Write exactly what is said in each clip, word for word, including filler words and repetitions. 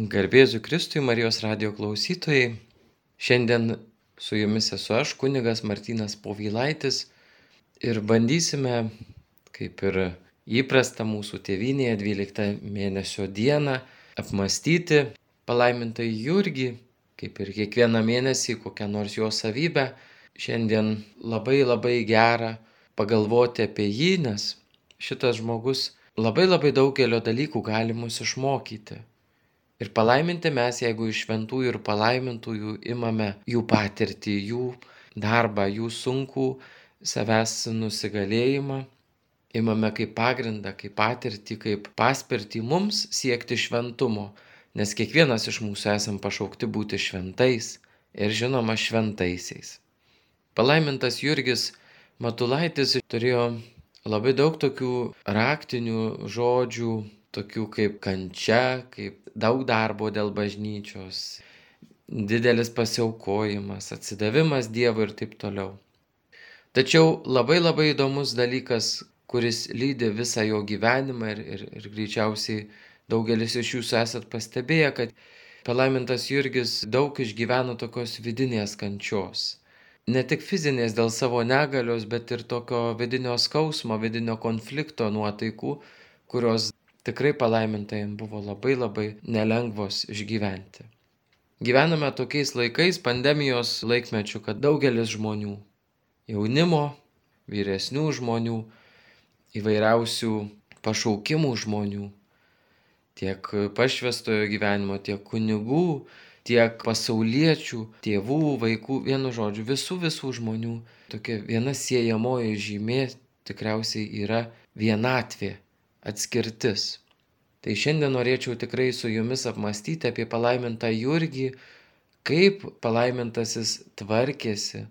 Garbėzu Kristui, Marijos radijo klausytojai. Šiandien su jumis esu aš, kunigas Martynas Povilaitis, ir bandysime, kaip ir įprasta mūsų tėvynėje, dvyliktą mėnesio dieną, apmąstyti palaimintąjį Jurgį, kaip ir kiekvieną mėnesį kokią nors jo savybę. Šiandien labai labai gera pagalvoti apie jį, nes šitas žmogus labai labai daugelio dalykų gali mus išmokyti. Ir palaiminti mes, jeigu iš šventųjų ir palaimintųjų imame jų patirtį, jų darbą, jų sunkų savęs nusigalėjimą, imame kaip pagrindą, kaip patirtį, kaip paspirtį mums siekti šventumo, nes kiekvienas iš mūsų esam pašaukti būti šventais ir žinoma šventaisiais. Palaimintas Jurgis Matulaitis turėjo labai daug tokių raktinių žodžių, tokių kaip kančia, kaip daug darbo dėl bažnyčios, didelis pasiaukojimas, atsidavimas Dievui ir taip toliau. Tačiau labai labai įdomus dalykas, kuris lydi visą jo gyvenimą ir, ir, ir greičiausiai daugelis iš jūsų esat pastebėję, kad palaimintas Jurgis daug išgyveno tokios vidinės kančios. Ne tik fizinės dėl savo negalios, bet ir tokio vidinio skausmo, vidinio konflikto nuotaikų, kurios tikrai palaimintajam buvo labai labai nelengvos išgyventi. Gyvename tokiais laikais, pandemijos laikmečių, kad daugelis žmonių, jaunimo, vyresnių žmonių, įvairiausių pašaukimų žmonių, tiek pašvęstojo gyvenimo, tiek kunigų, tiek pasauliečių, tėvų, vaikų, vienu žodžiu, visų visų žmonių, tokia viena siejamoji žymė tikriausiai yra vienatvė. Atskirtis. Tai šiandien norėčiau tikrai su jumis apmąstyti apie palaimintą Jurgį, kaip palaimintasis tvarkėsi,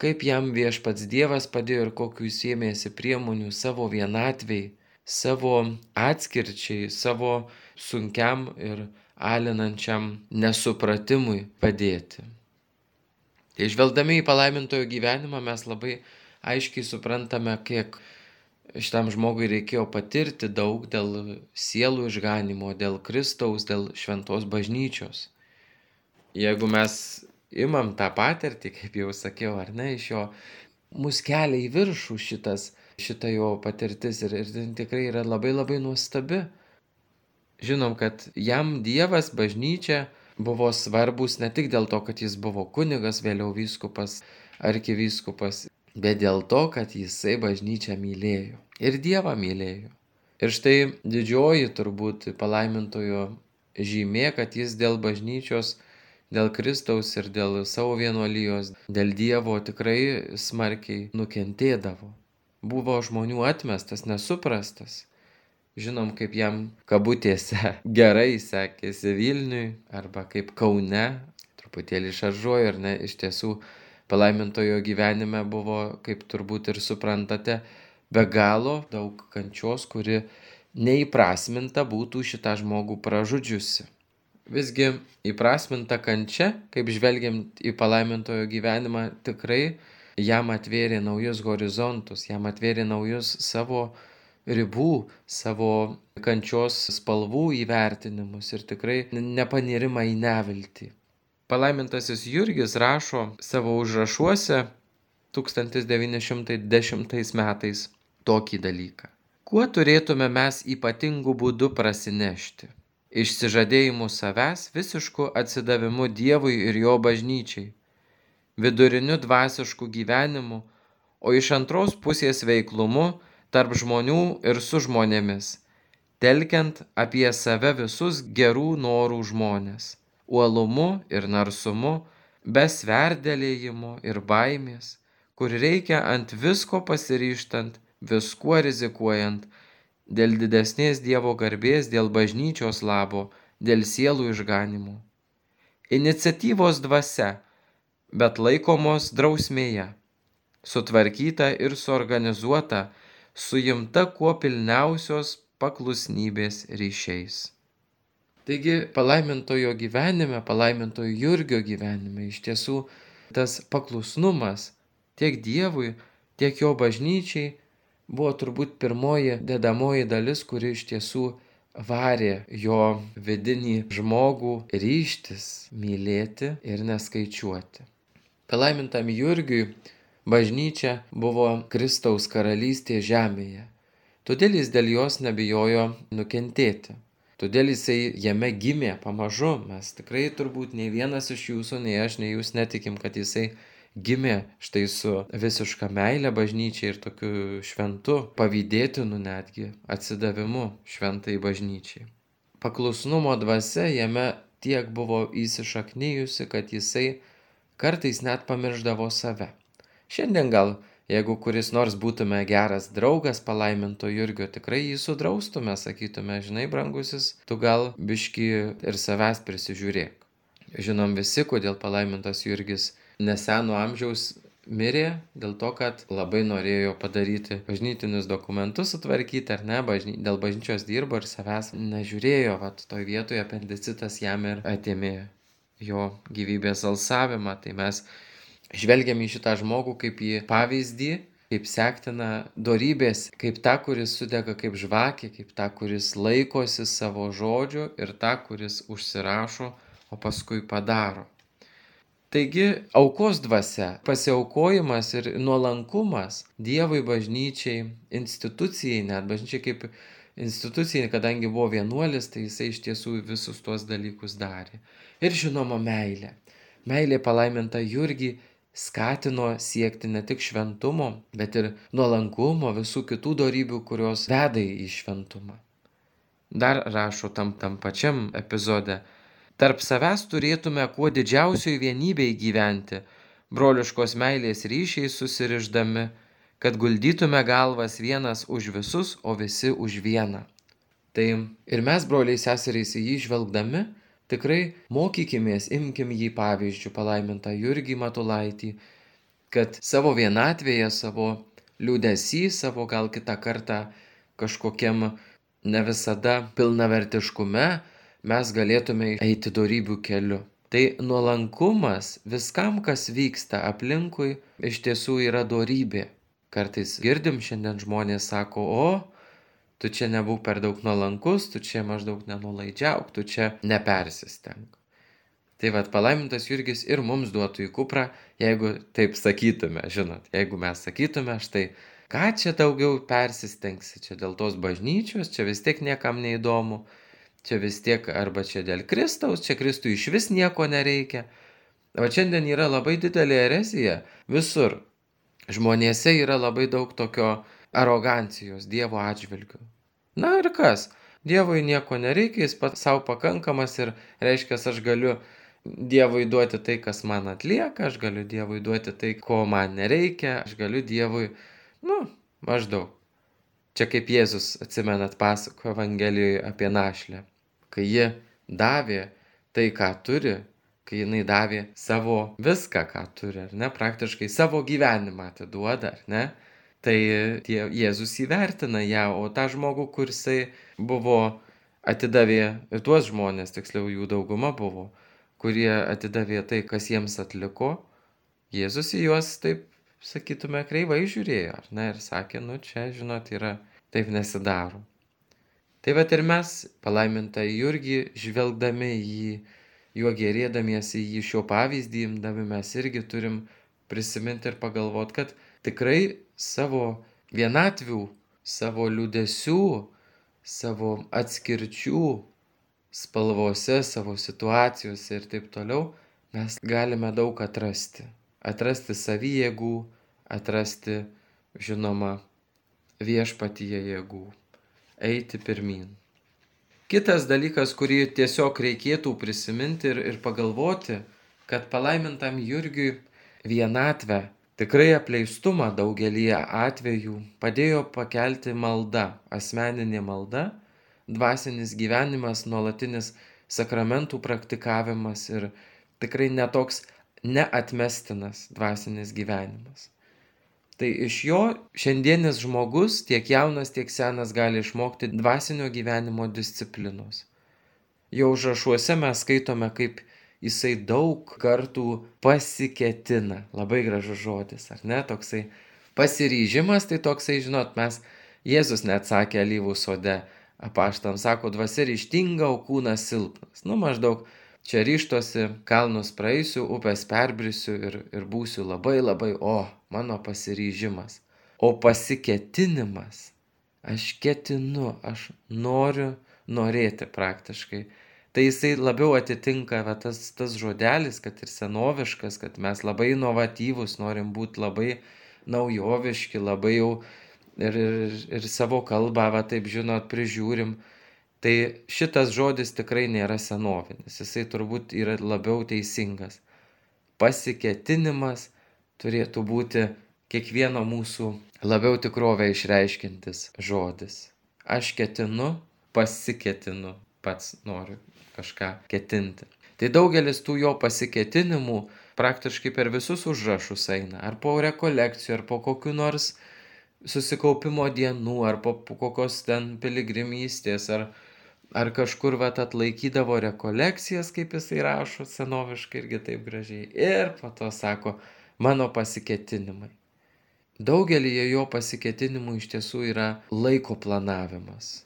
kaip jam viešpats Dievas padėjo ir kokių jis ėmėsi priemonių savo vienatvei, savo atskirčiai, savo sunkiam ir alinančiam nesupratimui padėti. Tai žvelgdami į palaimintojo gyvenimą mes labai aiškiai suprantame, kiek šitam žmogui reikėjo patirti daug dėl sielų išganimo, dėl Kristaus, dėl šventos bažnyčios. Jeigu mes imam tą patirtį, kaip jau sakiau, ar ne, iš jo, mus kelia į viršų šitas, šita jo patirtis ir, ir tikrai yra labai labai nuostabi. Žinom, kad jam Dievas, bažnyčia buvo svarbus ne tik dėl to, kad jis buvo kunigas, vėliau vyskupas, arkivyskupas, bet dėl to, kad jisai bažnyčią mylėjo ir Dievą mylėjo. Ir štai didžioji turbūt palaimintojo žymė, kad jis dėl bažnyčios, dėl Kristaus ir dėl savo vienuolijos, dėl Dievo tikrai smarkiai nukentėdavo. Buvo žmonių atmestas, nesuprastas. Žinom, kaip jam kabutėse gerai sekėsi Vilniui arba kaip Kaune, truputėlį šaržuoju, ar ne, iš tiesų palaimintojo gyvenime buvo, kaip turbūt ir suprantate, be galo daug kančios, kuri neįprasminta būtų šitą žmogų pražudžiusi. Visgi įprasminta kančia, kaip žvelgiant į palaimintojo gyvenimą, tikrai jam atvėrė naujus horizontus, jam atvėrė naujus savo ribų, savo kančios spalvų įvertinimus ir tikrai nepanirimą į neviltį. Palaimintasis Jurgis rašo savo užrašuose tūkstantis devyni šimtai dešimtais metais tokį dalyką. Kuo turėtume mes ypatingų būdų prasinešti? Išsižadėjimu savęs, visišku atsidavimu Dievui ir jo bažnyčiai, viduriniu dvasišku gyvenimu, o iš antros pusės veiklumu tarp žmonių ir su žmonėmis, telkiant apie save visus gerų norų žmonės, uolumu ir narsumu, be sverdėlėjimo ir baimės, kur reikia ant visko pasiryžtant, viskuo rizikuojant, dėl didesnės Dievo garbės, dėl bažnyčios labo, dėl sielų išganimo. Iniciatyvos dvasia, bet laikomos drausmėje, sutvarkyta ir suorganizuota, suimta kuo pilniausios paklusnybės ryšiais. Taigi palaimintojo gyvenime, palaimintojo Jurgio gyvenime iš tiesų tas paklusnumas tiek Dievui, tiek jo bažnyčiai buvo turbūt pirmoji dedamoji dalis, kuri iš tiesų varė jo vidinį žmogų ryžtis mylėti ir neskaičiuoti. Palaimintam Jurgiui bažnyčia buvo Kristaus karalystė žemėje. Todėl jis dėl jos nebijojo nukentėti. Todėl jisai jame gimė pamažu. Mes tikrai turbūt nei vienas iš jūsų, nei aš, nei jūs netikim, kad jisai gimė štai su visiška meile bažnyčiai ir tokiu šventu, pavydėtinu netgi atsidavimu šventai bažnyčiai. Paklusnumo dvasia jame tiek buvo įsišaknijusi, kad jisai kartais net pamirždavo save. Šiandien gal, jeigu kuris nors būtume geras draugas palaiminto Jurgio, tikrai jį sudraustume, sakytume, žinai, brangusis, tu gal biškį ir savęs prisižiūrėk. Žinom visi, kodėl palaimintas Jurgis neseno amžiaus mirė, dėl to, kad labai norėjo padaryti bažnytinius dokumentus, sutvarkyti ar ne, bažny... dėl bažnyčios dirbo ir savęs nežiūrėjo, vat toj vietoje apendicitas jam ir atėmė jo gyvybės alsavimą. Tai mes žvelgiam į šitą žmogų kaip į pavyzdį, kaip sektiną dorybės, kaip tą, kuris sudega kaip žvakė, kaip tą, kuris laikosi savo žodžio ir tą, kuris užsirašo, o paskui padaro. Taigi aukos dvasia, pasiaukojimas ir nuolankumas Dievui, bažnyčiai, institucijai, net bažnyčiai kaip institucijai, kadangi buvo vienuolis, tai jisai iš tiesų visus tuos dalykus darė. Ir žinoma meilė. Meilė palaiminta Jurgį skatino siekti ne tik šventumo, bet ir nuolankumo, visų kitų dorybių, kurios veda į šventumą. Dar rašo tam tam pačiam epizode: tarp savęs turėtume kuo didžiausioj vienybėj gyventi, broliškos meilės ryšiai susirišdami, kad guldytume galvas vienas už visus, o visi už vieną. Tai ir mes, broliai seserys, į jį žvelgdami, tikrai mokykimės, imkim jį pavyzdžių, palaimintą Jurgį Matulaitį, kad savo vienatvėje, savo liūdesy, savo gal kitą kartą kažkokiam ne visada pilnavertiškume mes galėtume eiti dorybių keliu. Tai nuolankumas viskam, kas vyksta aplinkui, iš tiesų yra dorybė. Kartais girdim šiandien žmonės sako: o, tu čia nebūk per daug nuolankus, tu čia maždaug nenulaidžiauk, tu čia nepersistenk. Tai vat palaimintas Jurgis ir mums duotų į kuprą, jeigu taip sakytume, žinot, jeigu mes sakytume, štai, ką čia daugiau persistengsi, čia dėl tos bažnyčios, čia vis tiek niekam neįdomu, čia vis tiek arba čia dėl Kristaus, čia Kristui iš vis nieko nereikia. O šiandien yra labai didelė erezija visur. Žmonėse yra labai daug tokio arogancijos Dievo atžvilgiu. Na ir kas? Dievui nieko nereikia, jis pats savo pakankamas ir reiškia, aš galiu Dievui duoti tai, kas man atlieka, aš galiu Dievui duoti tai, ko man nereikia, aš galiu Dievui, nu, maždaug. Čia kaip Jėzus, atsimenat, pasako Evangelijoje apie našlę. Kai ji davė tai, ką turi, kai jinai davė savo viską, ką turi, ar ne, praktiškai savo gyvenimą atiduoda, ar ne, tai tie, Jėzus įvertina ją, o tą žmogų, kur jisai buvo, atidavė, ir tuos žmonės, tiksliau jų dauguma buvo, kurie atidavė tai, kas jiems atliko, Jėzus į juos, taip sakytume, kreivai žiūrėjo, ar ne, ir sakė, nu čia, žinot, yra, taip nesidaro. Tai vat ir mes, palaimintą Jurgį, žvelgdami jį, juo gerėdamiesi jį šio pavyzdį imdami, mes irgi turim prisiminti ir pagalvoti, kad tikrai savo vienatvių, savo liūdesių, savo atskirčių spalvose, savo situacijose ir taip toliau, mes galime daug atrasti. Atrasti savyjėgų, atrasti, žinoma, viešpatyje jėgų, eiti pirmyn. Kitas dalykas, kurį tiesiog reikėtų prisiminti ir, ir pagalvoti, kad palaimintam Jurgiui vienatvę, tikrai apleistumą daugelį atvejų padėjo pakelti malda, asmeninė malda, dvasinis gyvenimas, nuolatinis sakramentų praktikavimas ir tikrai netoks neatmestinas dvasinis gyvenimas. Tai iš jo šiandienis žmogus, tiek jaunas, tiek senas, gali išmokti dvasinio gyvenimo disciplinos. Jo užrašuose mes skaitome, kaip jisai daug kartų pasiketina. Labai gražus žodis, ar ne? Toksai pasiryžimas, tai toksai, žinot, mes, Jėzus net sakė alyvų sode, apaštams sako, dvasia ryžtinga, o kūnas silpnas. Nu, maždaug čia ryžtosi, kalnus praeisiu, upės perbrisiu ir, ir būsiu labai labai, o, mano pasiryžimas. O pasiketinimas, aš ketinu, aš noriu norėti praktiškai. Tai jisai labiau atitinka va, tas, tas žodelis, kad ir senoviškas, kad mes labai inovatyvūs, norim būti labai naujoviški, labai jau ir, ir, ir savo kalbą, va, taip žinot, prižiūrim. Tai šitas žodis tikrai nėra senovinis, jisai turbūt yra labiau teisingas. Pasiketinimas turėtų būti kiekvieno mūsų labiau tikrovę išreiškintis žodis. Aš ketinu, pasiketinu, pats noriu kažką ketinti. Tai daugelis tų jo pasiketinimų praktiškai per visus užrašus eina. Ar po rekolekcijų, ar po kokių nors susikaupimo dienų, ar po, po kokios ten piligrimystės, ar, ar kažkur vat atlaikydavo rekolekcijas, kaip jisai rašo senoviškai irgi taip gražiai. Ir po to sako, mano pasiketinimai. Daugelį jo pasiketinimų iš tiesų yra laiko planavimas.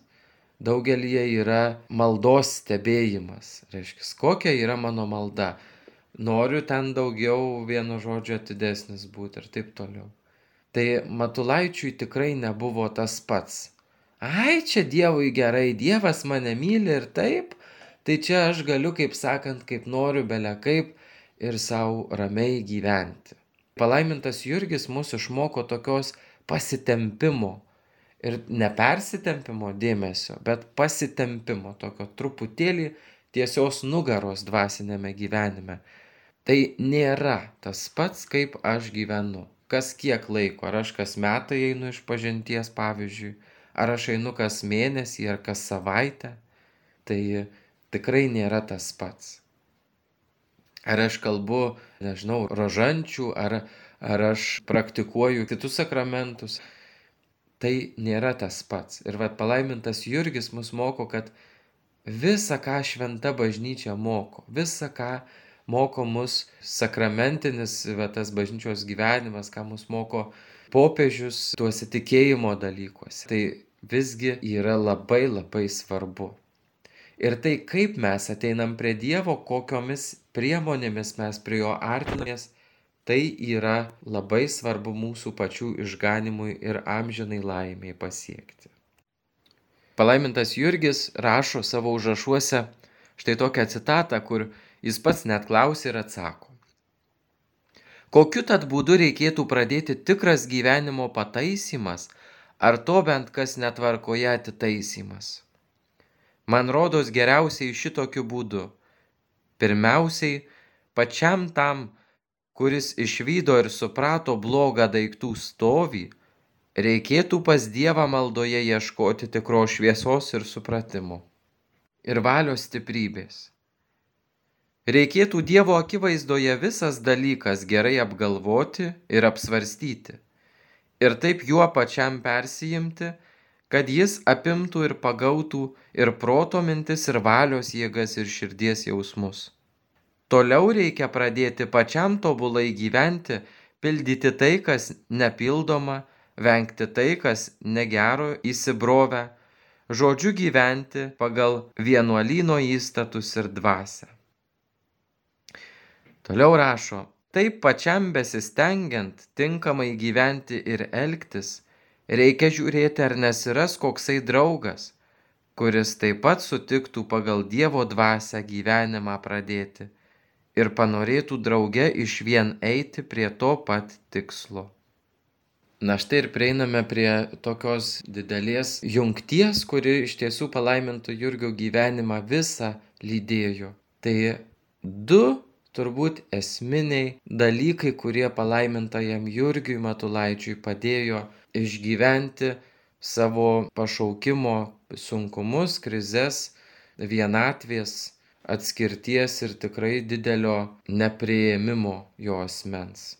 Daugelį yra maldos stebėjimas. Reiškia, kokia yra mano malda. Noriu ten daugiau vieno žodžio atidesnis būti ir taip toliau. Tai Matulaičiui tikrai nebuvo tas pats. Ai, čia Dievui gerai, Dievas mane myli ir taip, tai čia aš galiu, kaip sakant, kaip noriu, bele kaip ir savo ramiai gyventi. Palaimintas Jurgis mus išmoko tokios pasitempimo. Ir nepersitempimo dėmesio, bet pasitempimo, tokio truputėlį tiesios nugaros dvasinėme gyvenime. Tai nėra tas pats, kaip aš gyvenu. Kas kiek laiko, ar aš kas metai einu iš pažinties, pavyzdžiui, ar aš einu kas mėnesį, ar kas savaitę, tai tikrai nėra tas pats. Ar aš kalbu, nežinau, rožančių, ar, ar aš praktikuoju kitus sakramentus, tai nėra tas pats. Ir vat palaimintas Jurgis mus moko, kad visa, ką šventa bažnyčia moko, visa, ką moko mus sakramentinis va, tas bažnyčios gyvenimas, ką mus moko popiežius tuose tikėjimo dalykuose, tai visgi yra labai labai svarbu. Ir tai, kaip mes ateinam prie Dievo, kokiomis priemonėmis mes prie jo artinamės, tai yra labai svarbu mūsų pačių išganimui ir amžinai laimei pasiekti. Palaimintas Jurgis rašo savo užrašuose štai tokią citatą, kur jis pats net klausia ir atsako. Kokiu tad būdu reikėtų pradėti tikras gyvenimo pataisymas, ar to bent kas netvarkoje atitaisymas? Man rodos geriausiai šitokiu būdu. Pirmiausiai, pačiam tam, kuris išvydo ir suprato blogą daiktų stovį, reikėtų pas Dievą maldoje ieškoti tikros šviesos ir supratimo. Ir valios stiprybės. Reikėtų Dievo akivaizdoje visas dalykas gerai apgalvoti ir apsvarstyti. Ir taip juo pačiam persijimti, kad jis apimtų ir pagautų ir proto mintis, ir valios jėgas, ir širdies jausmus. Toliau reikia pradėti pačiam tobulai gyventi, pildyti tai, kas nepildoma, vengti tai, kas negero įsibrovę, žodžiu gyventi pagal vienuolyno įstatus ir dvasią. Toliau rašo, taip pačiam besistengiant tinkamai gyventi ir elgtis, reikia žiūrėti, ar nesiras koksai draugas, kuris taip pat sutiktų pagal Dievo dvasią gyvenimą pradėti ir panorėtų drauge išvien eiti prie to pat tikslo. Na štai ir prieiname prie tokios didelės jungties, kuri iš tiesų palaiminto Jurgio gyvenimą visą lydėjo. Tai du turbūt esminiai dalykai, kurie palaimintajam Jurgiui Matulaičiui padėjo išgyventi savo pašaukimo sunkumus, krizes, vienatvės, atskirties ir tikrai didelio nepriėmimo jo asmens.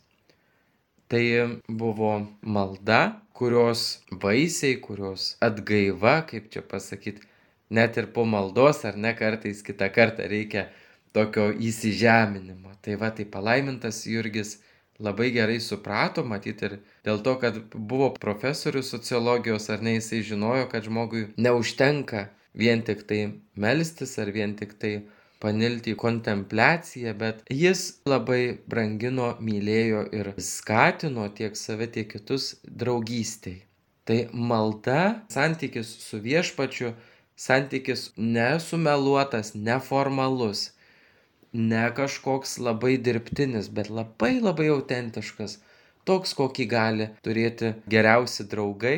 Tai buvo malda, kurios vaisiai, kurios atgaiva, kaip čia pasakyti, net ir po maldos ar ne kartais kitą kartą reikia tokio įsižeminimo. Tai va, tai palaimintas Jurgis labai gerai suprato, matyt ir dėl to, kad buvo profesorius sociologijos, ar ne, jisai žinojo, kad žmogui neužtenka vien tik tai melstis ar vien tik tai panilti į kontempliaciją, bet jis labai brangino, mylėjo ir skatino tiek save, tiek kitus draugystei. Tai malda, santykis su viešpačiu, santykis nesumeluotas, neformalus, ne kažkoks labai dirbtinis, bet labai labai autentiškas, toks, kokį gali turėti geriausi draugai.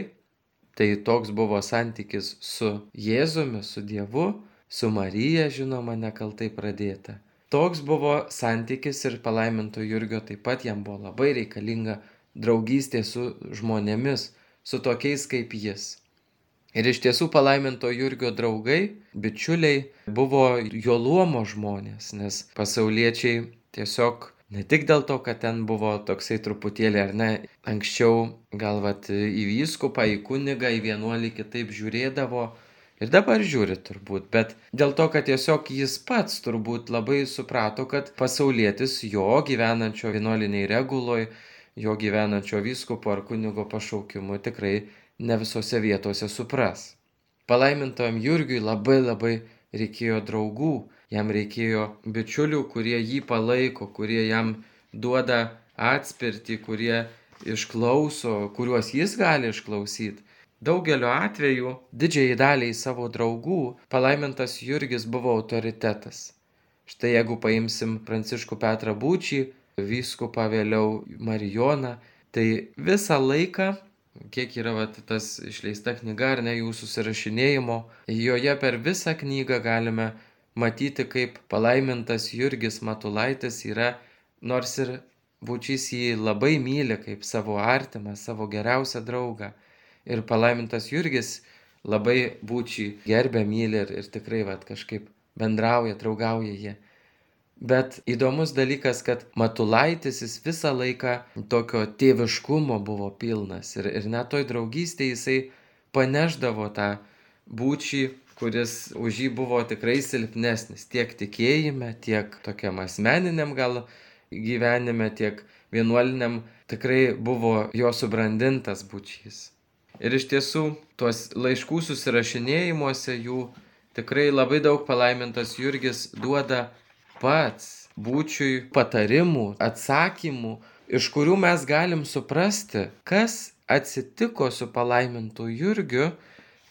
Tai toks buvo santykis su Jėzumi, su Dievu, su Marija, žinoma, nekaltai pradėta. Toks buvo santykis ir palaiminto Jurgio, taip pat jam buvo labai reikalinga draugystė su žmonėmis, su tokiais kaip jis. Ir iš tiesų palaiminto Jurgio draugai, bičiuliai buvo jo luomo žmonės, nes pasauliečiai tiesiog ne tik dėl to, kad ten buvo toksai truputėlį ar ne, anksčiau gal vat į vyskupą, į kunigą, į vienuolį kitaip žiūrėdavo ir dabar žiūri turbūt, bet dėl to, kad tiesiog jis pats turbūt labai suprato, kad pasaulietis jo gyvenančio vienuoliniai reguloj, jo gyvenančio vyskupo ar kunigo pašaukimu tikrai ne visose vietose supras. Palaimintojam Jurgiui labai labai reikėjo draugų, jam reikėjo bičiulių, kurie jį palaiko, kurie jam duoda atspirtį, kurie išklauso, kuriuos jis gali išklausyti. Daugeliu atveju, didžiai daliai savo draugų, palaimintas Jurgis buvo autoritetas. Štai jeigu paimsim Pranciškų Petrą Būčį, vyskupą vėliau Marijoną, tai visą laiką, kiek yra vat, tas išleista knyga ar ne jų susirašinėjimo, joje per visą knygą galime matyti, kaip palaimintas Jurgis Matulaitis yra, nors ir Būčys jį labai myli kaip savo artimą, savo geriausią draugą. Ir palaimintas Jurgis labai Būčį gerbia, myli ir, ir tikrai vat, kažkaip bendrauja, draugauja jie. Bet įdomus dalykas, kad Matulaitis jis visą laiką tokio tėviškumo buvo pilnas ir, ir net toj draugystėje jisai paneždavo tą Būčį, kuris už jį buvo tikrai silpnesnis tiek tikėjime, tiek tokiam asmeniniam gal gyvenime, tiek vienuoliniam, tikrai buvo jo subrandintas Būčys. Ir iš tiesų, tuos laiškų susirašinėjimuose jų tikrai labai daug palaimintas Jurgis duoda pats Būčiui patarimų, atsakymų, iš kurių mes galim suprasti, kas atsitiko su palaimintu Jurgiu,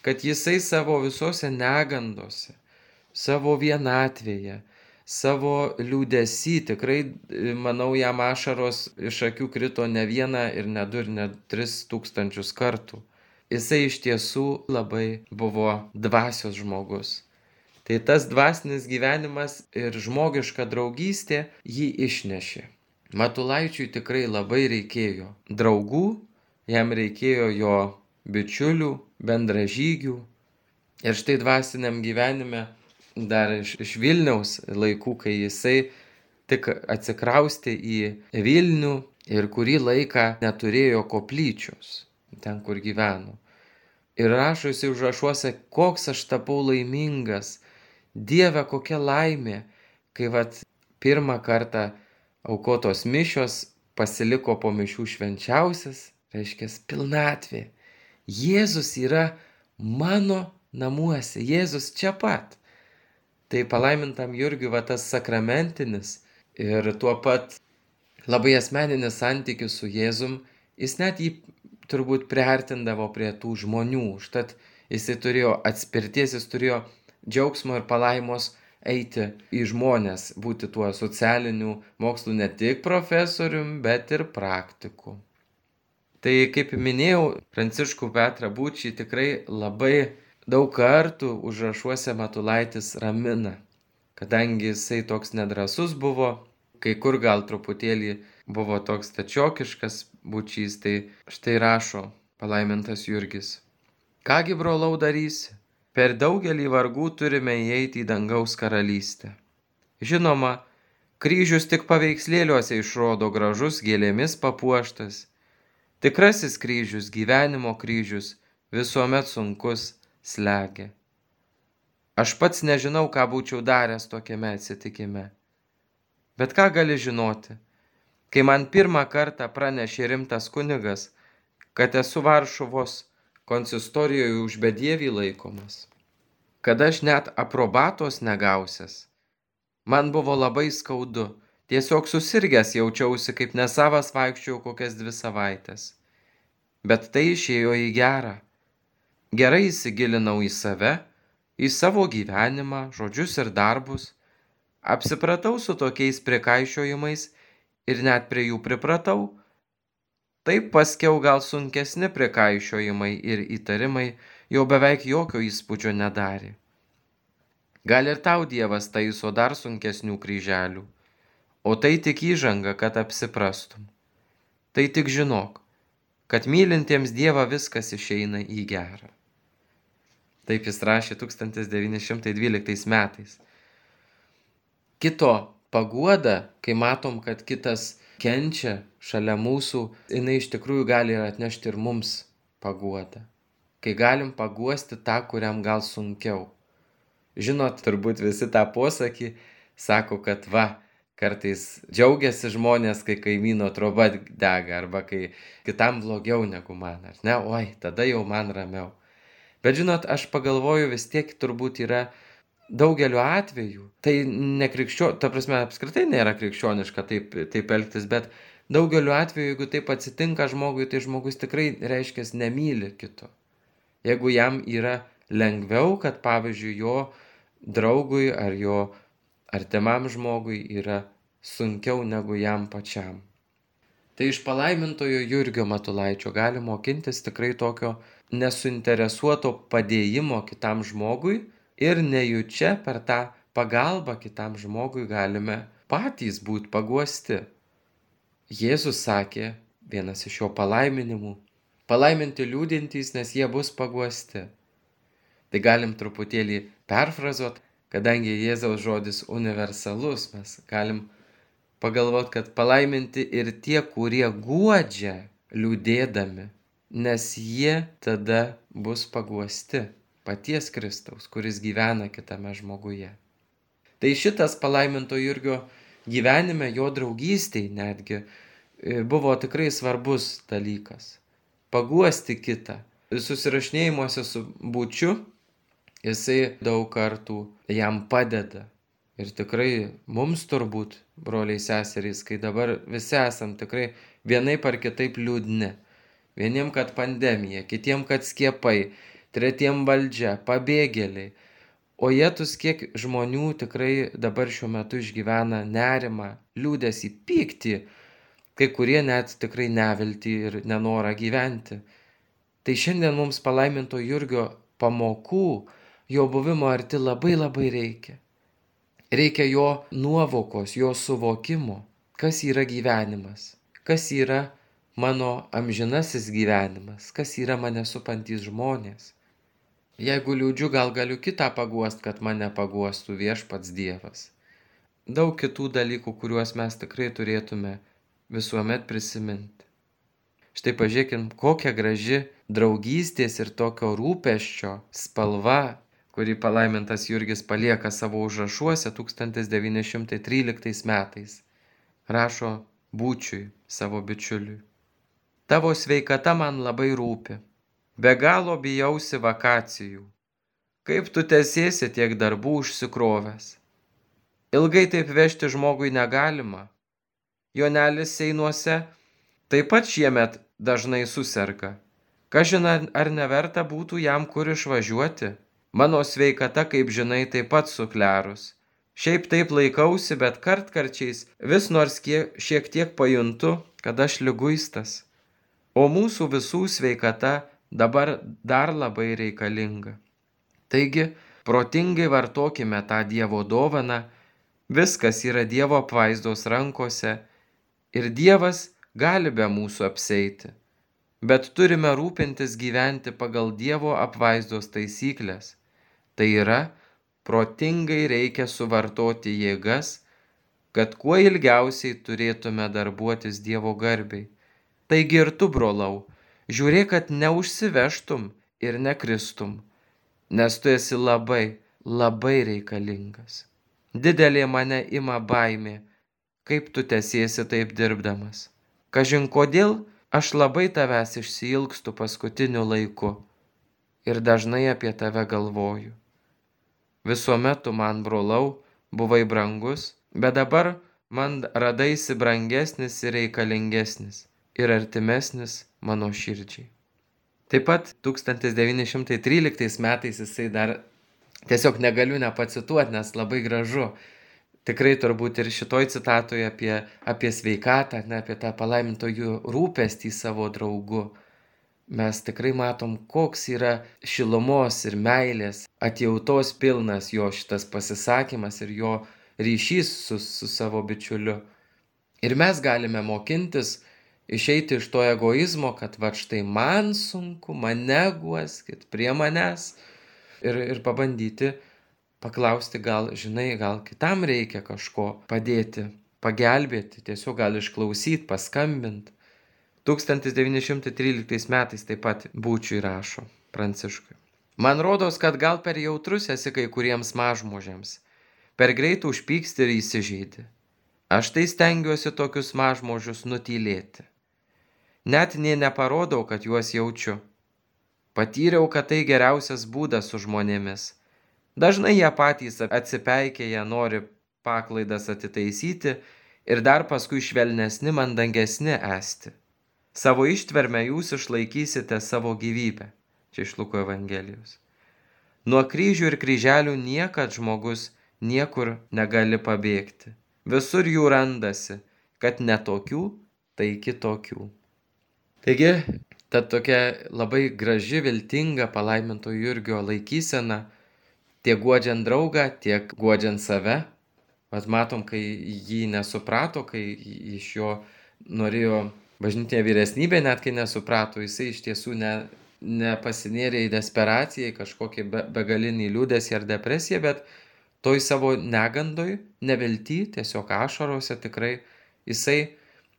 kad jisai savo visose negandose, savo vienatvėje, savo liūdesy, tikrai, manau, jam ašaros iš akių krito ne vieną ir ne du ir ne tris tūkstančius kartų. Jisai iš tiesų labai buvo dvasios žmogus. Tai tas dvasinis gyvenimas ir žmogiška draugystė jį išnešė. Matulaičiui tikrai labai reikėjo draugų, jam reikėjo jo bičiulių, bendražygių. Ir štai dvasiniam gyvenime dar iš, iš Vilniaus laikų, kai jisai tik atsikraustė į Vilnių ir kurį laiką neturėjo koplyčios, ten kur gyveno. Ir rašo jisai užrašuose, koks aš tapau laimingas, Dieve, kokia laimė, kai vat pirmą kartą aukotos mišios pasiliko po mišių švenčiausias, reiškia pilnatvė. Jėzus yra mano namuose, Jėzus čia pat. Tai palaimintam Jurgiui va tas sakramentinis ir tuo pat labai asmeninis santykis su Jėzum, jis net jį turbūt priartindavo prie tų žmonių. Užtat jisai turėjo atspirties, jis turėjo džiaugsmo ir palaimos eiti į žmones, būti tuo socialinių mokslų ne tik profesorium, bet ir praktiku. Tai kaip minėjau, Pranciškų Petrą Būčį tikrai labai daug kartų užrašuose Matulaitis ramina, kadangi jisai toks nedrąsus buvo, kai kur gal truputėlį buvo toks stačiokiškas Būčys, tai štai rašo palaimintas Jurgis. Kągi, brolau, darysi? Per daugelį vargų turime įeiti į dangaus karalystę. Žinoma, kryžius tik paveikslėliuose išrodo gražus, gėlėmis papuoštas. Tikrasis kryžius, gyvenimo kryžius, visuomet sunkus, slegia. Aš pats nežinau, ką būčiau daręs tokiame atsitikime. Bet ką gali žinoti? Kai man pirmą kartą pranešė rimtas kunigas, kad esu Varšuvos konsistorijoje už bedievį laikomas, kad aš net aprobatos negausias, man buvo labai skaudu, tiesiog susirgęs jaučiausi, kaip nesavas vaikščiojau kokias dvi savaitės. Bet tai išėjo į gerą. Gerai įsigilinau į save, į savo gyvenimą, žodžius ir darbus, apsipratau su tokiais prikaišiojimais ir net prie jų pripratau. Taip paskiau gal sunkesni prikaišiojimai ir įtarimai jau beveik jokio įspūdžio nedarė. Gal ir tau Dievas taiso dar sunkesnių kryželių, o tai tik įžanga, kad apsiprastum. Tai tik žinok, kad mylintiems Dievą viskas išeina į gerą. Taip jis rašė tūkstantis devyni šimtai dvyliktais metais. Kito paguoda, kai matom, kad kitas kenčia šalia mūsų, jinai iš tikrųjų gali ir atnešti ir mums paguodą. Kai galim paguosti tą, kuriam gal sunkiau. Žinot, turbūt visi tą posakį sako, kad va, kartais džiaugiasi žmonės, kai kaimyno troba dega, arba kai kitam blogiau negu man, ar ne? Oi, tada jau man ramiau. Bet žinot, aš pagalvoju, vis tiek turbūt yra daugeliu atveju. Tai nekrikščio, ta prasme, apskritai nėra krikščioniška taip, taip elgtis, bet daugeliu atveju, jeigu taip atsitinka žmogui, tai žmogus tikrai reiškia nemyli kito. Jeigu jam yra lengviau, kad pavyzdžiui jo draugui ar jo artimam žmogui yra sunkiau negu jam pačiam. Tai iš palaimintojo Jurgio Matulaičio gali mokintis tikrai tokio nesuinteresuoto padėjimo kitam žmogui ir nejučia per tą pagalbą kitam žmogui galime patys būti paguosti. Jėzus sakė, vienas iš jo palaiminimų, palaiminti liūdintys, nes jie bus paguosti. Tai galim truputėlį perfrazuot, kadangi Jėzaus žodis universalus, mes galim pagalvoti, kad palaiminti ir tie, kurie guodžia liūdėdami, nes jie tada bus paguosti paties Kristaus, kuris gyvena kitame žmoguje. Tai šitas palaiminto Jurgio gyvenime, jo draugystėj netgi, buvo tikrai svarbus dalykas. Paguosti kitą. Susirašinėjimuose su Būčiu jisai daug kartų jam padeda. Ir tikrai mums turbūt, broliai seserys, kai dabar visi esam tikrai vienaip ar kitaip liūdni. Vieniem, kad pandemija, kitiem, kad skiepai, tretiem valdžia, pabėgėliai. O jėtus kiek žmonių tikrai dabar šiuo metu išgyvena nerimą, liūdesį, pyktį, kai kurie net tikrai neviltį ir nenorą gyventi. Tai šiandien mums palaiminto Jurgio pamokų, jo buvimo arti labai labai reikia. Reikia jo nuovokos, jo suvokimo, kas yra gyvenimas, kas yra mano amžinasis gyvenimas, kas yra mane supantys žmonės. Jeigu liūdžiu, gal galiu kitą paguost, kad mane paguostų viešpats Dievas. Daug kitų dalykų, kuriuos mes tikrai turėtume visuomet prisiminti. Štai pažiūrėkim, kokia graži draugystės ir tokio rūpesčio spalva, kurį palaimintas Jurgis palieka savo užrašuose tūkstantis devyni šimtai tryliktais metais. Rašo Būčiui, savo bičiuliui. Tavo sveikata man labai rūpi. Be galo bijausi vakacijų. Kaip tu tęsiesi tiek darbų užsikrovęs. Ilgai taip vežti žmogui negalima. Jonelis Seinuose taip pat šiemet dažnai suserga. Kažin ar neverta būtų jam kur išvažiuoti. Mano sveikata, kaip žinai, taip pat suklerus. Šiaip taip laikausi, bet kartkarčiais vis nors kiek, šiek tiek pajuntu, kad aš liguistas. O mūsų visų sveikata dabar dar labai reikalinga. Taigi, protingai vartokime tą Dievo dovaną, viskas yra Dievo apvaizdos rankose ir Dievas gali be mūsų apseiti. Bet turime rūpintis gyventi pagal Dievo apvaizdos taisyklės. Tai yra, protingai reikia suvartoti jėgas, kad kuo ilgiausiai turėtume darbuotis Dievo garbei. Taigi ir tu, brolau, žiūrėk, kad neužsivežtum ir nekristum, nes tu esi labai, labai reikalingas. Didelė mane ima baimė, kaip tu tęsiesi taip dirbdamas. Kažin kodėl aš labai tavęs išsiilgstu paskutiniu laiku ir dažnai apie tave galvoju. Visuomet tu man, brolau, buvai brangus, bet dabar man radaisi brangesnis ir reikalingesnis ir artimesnis mano širdžiai. Taip pat tūkstantis devyni šimtai tryliktais metais jisai dar, tiesiog negaliu nepacituoti, nes labai gražu. Tikrai turbūt ir šitoj citatoje apie, apie sveikatą, ne, apie tą palaimintojų rūpestį savo draugu. Mes tikrai matom, koks yra šilumos ir meilės, atjautos pilnas jo šitas pasisakymas ir jo ryšys su, su savo bičiuliu. Ir mes galime mokintis išeiti iš to egoizmo, kad va štai man sunku, mane guoskit prie manęs ir, ir pabandyti paklausti, gal, žinai, gal kitam reikia kažko padėti, pagelbėti, tiesiog gal išklausyti, paskambinti. tūkstantis devyni šimtai tryliktais metais taip pat Būčiui rašo Pranciškui. Man rodos, kad gal per jautrus esi kai kuriems mažmožiams, per greit užpyksti ir įsižeidi. Aš tai stengiuosi tokius mažmožius nutylėti. Net nė neparodau, kad juos jaučiu. Patyriau, kad tai geriausias būdas su žmonėmis. Dažnai jie patys atsipeikėję nori paklaidas atitaisyti ir dar paskui švelnesni, mandangesni esti. Savo ištvermę jūs išlaikysite savo gyvybę. Čia iš Luko Evangelijos. Nuo kryžių ir kryželių niekad žmogus niekur negali pabėgti. Visur jų randasi, kad ne tokių, tai kitokių. Taigi, ta tokia labai graži, viltinga palaiminto Jurgio laikysena, tiek guodžiant draugą, tiek guodžiant save. Vat matom, kai jį nesuprato, kai iš jo norėjo bažnytinė vyresnybė, net kai nesuprato, jisai iš tiesų ne, nepasinėrė į desperaciją, į kažkokį be, begalinį liūdesį ar depresiją, bet toj savo negandoj, nevilty, tiesiog ašarose tikrai jisai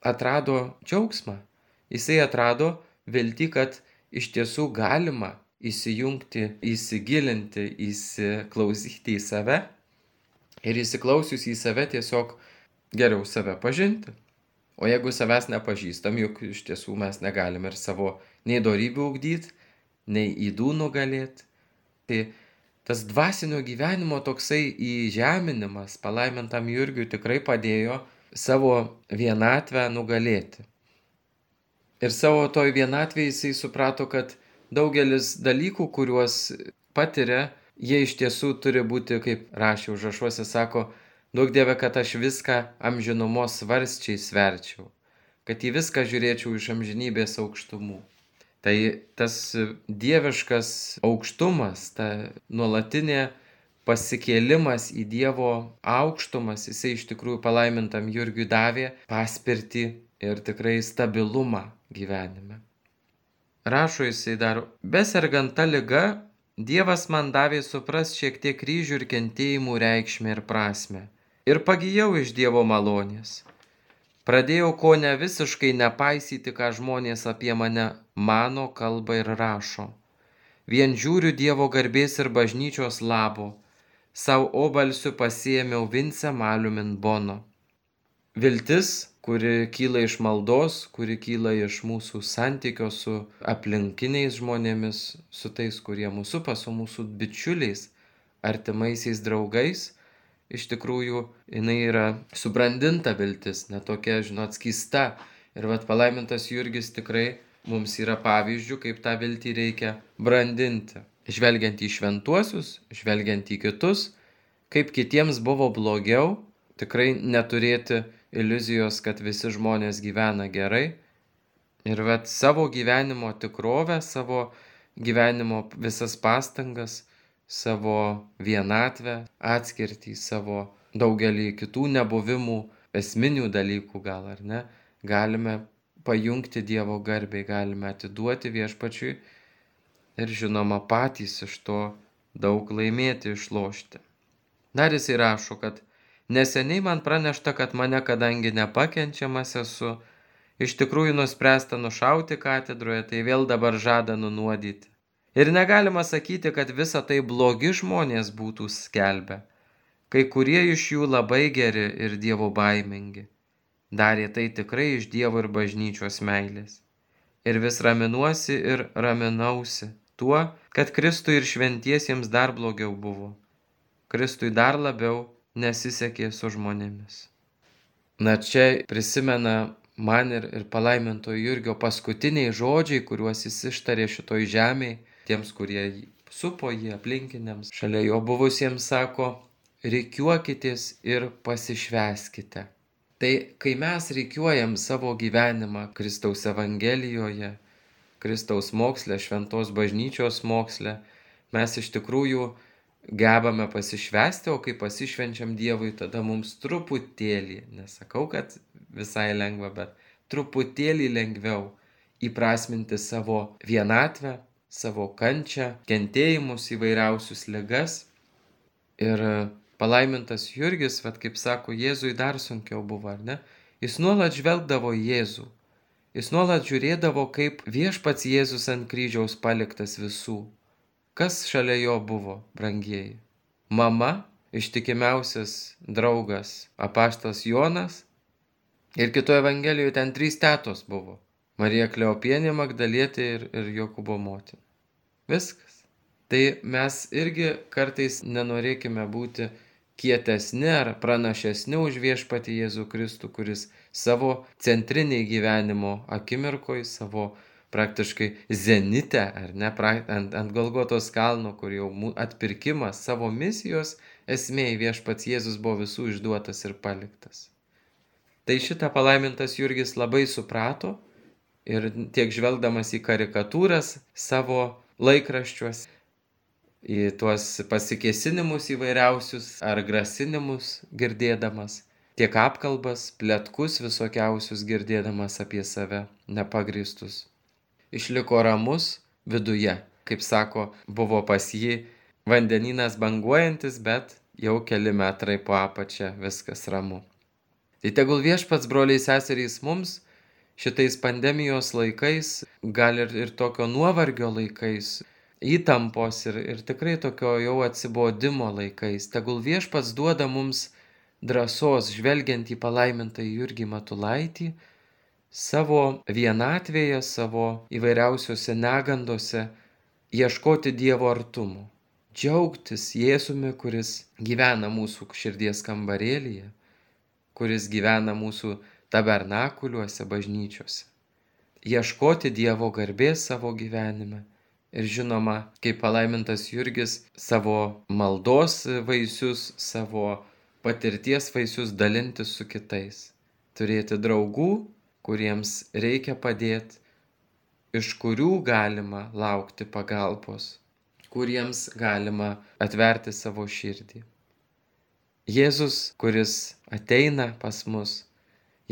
atrado džiaugsmą. Jisai atrado viltį, kad iš tiesų galima įsijungti, įsigilinti, įsiklausyti į save ir įsiklausius į save tiesiog geriau save pažinti. O jeigu savęs nepažįstam, juk iš tiesų mes negalim ir savo nei dorybių ugdyti, nei ydų nugalėti. Tai tas dvasinio gyvenimo toksai įžeminimas palaimintam Jurgiui tikrai padėjo savo vienatvę nugalėti. Ir savo toj vienatvėje jisai suprato, kad daugelis dalykų, kuriuos patiria, jie iš tiesų turi būti, kaip rašė užrašuose, sako, duok Dieve, kad aš viską amžinumos svarsčiai sverčiau, kad į viską žiūrėčiau iš amžinybės aukštumų. Tai tas dieviškas aukštumas, ta nuolatinė pasikėlimas į Dievo aukštumas, jisai iš tikrųjų palaimintam Jurgiui davė paspirtį ir tikrai stabilumą gyvenime. Rašo jisai dar, besergant ta liga, Dievas man davė suprast šiek tiek kryžių ir kentėjimų reikšmę ir prasmę. Ir pagijau iš Dievo malonės. Pradėjau ko ne visiškai nepaisyti, ką žmonės apie mane mano, kalba ir rašo. Vien žiūriu Dievo garbės ir bažnyčios labo. Sau obalsiu pasiėmiau Vince Malumin Bono. Viltis, kuri kyla iš maldos, kuri kyla iš mūsų santykio su aplinkiniais žmonėmis, su tais, kurie mūsų supa, su mūsų bičiuliais, artimaisiais draugais, iš tikrųjų jinai yra subrandinta viltis, netokia, žinot, skysta. Ir vat palaimintas Jurgis tikrai mums yra pavyzdžių, kaip tą viltį reikia brandinti. Žvelgiant į šventuosius, žvelgiant į kitus, kaip kitiems buvo blogiau, tikrai neturėti iliuzijos, kad visi žmonės gyvena gerai. Ir vat savo gyvenimo tikrovę, savo gyvenimo visas pastangas, savo vienatvę, atskirtį, savo daugelį kitų nebuvimų, esminių dalykų gal ar ne, galime pajungti Dievo garbei, galime atiduoti Viešpačiui ir žinoma patys iš to daug laimėti, išlošti. Dar jisai rašo, kad neseniai man pranešta, kad mane, kadangi nepakenčiamas esu, iš tikrųjų nuspręsta nušauti katedroje, tai vėl dabar žada nunuodyti. Ir negalima sakyti, kad visa tai blogi žmonės būtų skelbę. Kai kurie iš jų labai geri ir Dievo baimingi. darė tai tikrai iš Dievo ir bažnyčios meilės. Ir vis raminuosi ir raminausi tuo, kad Kristui ir šventiesiems dar blogiau buvo. Kristui dar labiau nesisekė su žmonėmis. Na čia prisimena man ir, ir palaimintojo Jurgio paskutiniai žodžiai, kuriuos jis ištarė šitoj žemėje, tiems, kurie jį supo jį aplinkiniams, šalia jo buvusiems sako, rikiuokitės ir pasišvęskite. Tai kai mes rikiuojam savo gyvenimą Kristaus Evangelijoje, Kristaus moksle, šventos bažnyčios moksle, mes iš tikrųjų gebame pasišvęsti, o kai pasišvenčiam Dievui, tada mums truputėlį, nesakau, kad visai lengva, bet truputėlį lengviau įprasminti savo vienatvę, savo kančią, kentėjimus, įvairiausius ligas. Ir palaimintas Jurgis, vat kaip sako, Jėzui dar sunkiau buvo, ar ne? Jis nuolat žvelgdavo į Jėzų. Jis nuolat žiūrėdavo, kaip viešpats Jėzus ant kryžiaus paliktas visų. Kas šalia jo buvo, brangieji? Mama, ištikimiausias draugas apaštalas Jonas, ir kitoje Evangelijoje ten trys tetos buvo. Marija Kleopienė, Magdalietė ir, ir Jokūbo motina. Viskas. Tai mes irgi kartais nenorėkime būti kietesni ar pranašesni už viešpatį Jėzų Kristų, kuris savo centriniai gyvenimo akimirkoj, savo praktiškai zenite, ar ne, ant, ant Golgotos kalno, kur jau atpirkimas savo misijos esmėj viešpats Jėzus buvo visų išduotas ir paliktas. Tai šitą palaimintas Jurgis labai suprato ir tiek žvelgdamas į karikatūras savo laikraščiuos, į tuos pasikėsinimus įvairiausius ar grasinimus girdėdamas, tiek apkalbas, pletkus visokiausius girdėdamas apie save nepagrįstus. Išliko ramus viduje, kaip sako, buvo pas jį vandenynas banguojantis, bet jau keli metrai po apačia viskas ramu. Tai tegul viešpats, broliai seserys, mums šitais pandemijos laikais, gal ir, ir tokio nuovargio laikais, įtampos ir, ir tikrai tokio jau atsibodimo laikais, tegul viešpats duoda mums drąsos, žvelgiant į palaimintąjį Jurgį Matulaitį, savo vienatvėje, savo įvairiausiose negandose ieškoti Dievo artumo, džiaugtis Jėzumi, kuris gyvena mūsų širdies kambarėlyje, kuris gyvena mūsų tabernakuliuose, bažnyčiose, ieškoti Dievo garbės savo gyvenime ir žinoma, kaip palaimintas Jurgis, savo maldos vaisius, savo patirties vaisius dalintis su kitais, turėti draugų, kuriems reikia padėti, iš kurių galima laukti pagalbos, kuriems galima atverti savo širdį. Jėzus, kuris ateina pas mus,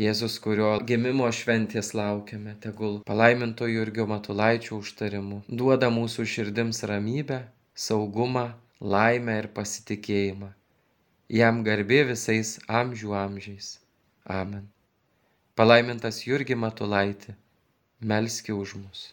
Jėzus, kurio gimimo šventės laukiame, tegul palaiminto Jurgio Matulaičio užtarimu duoda mūsų širdims ramybę, saugumą, laimę ir pasitikėjimą. Jam garbė visais amžių amžiais. Amen. Palaimintas Jurgi Matulaiti, melski už mus.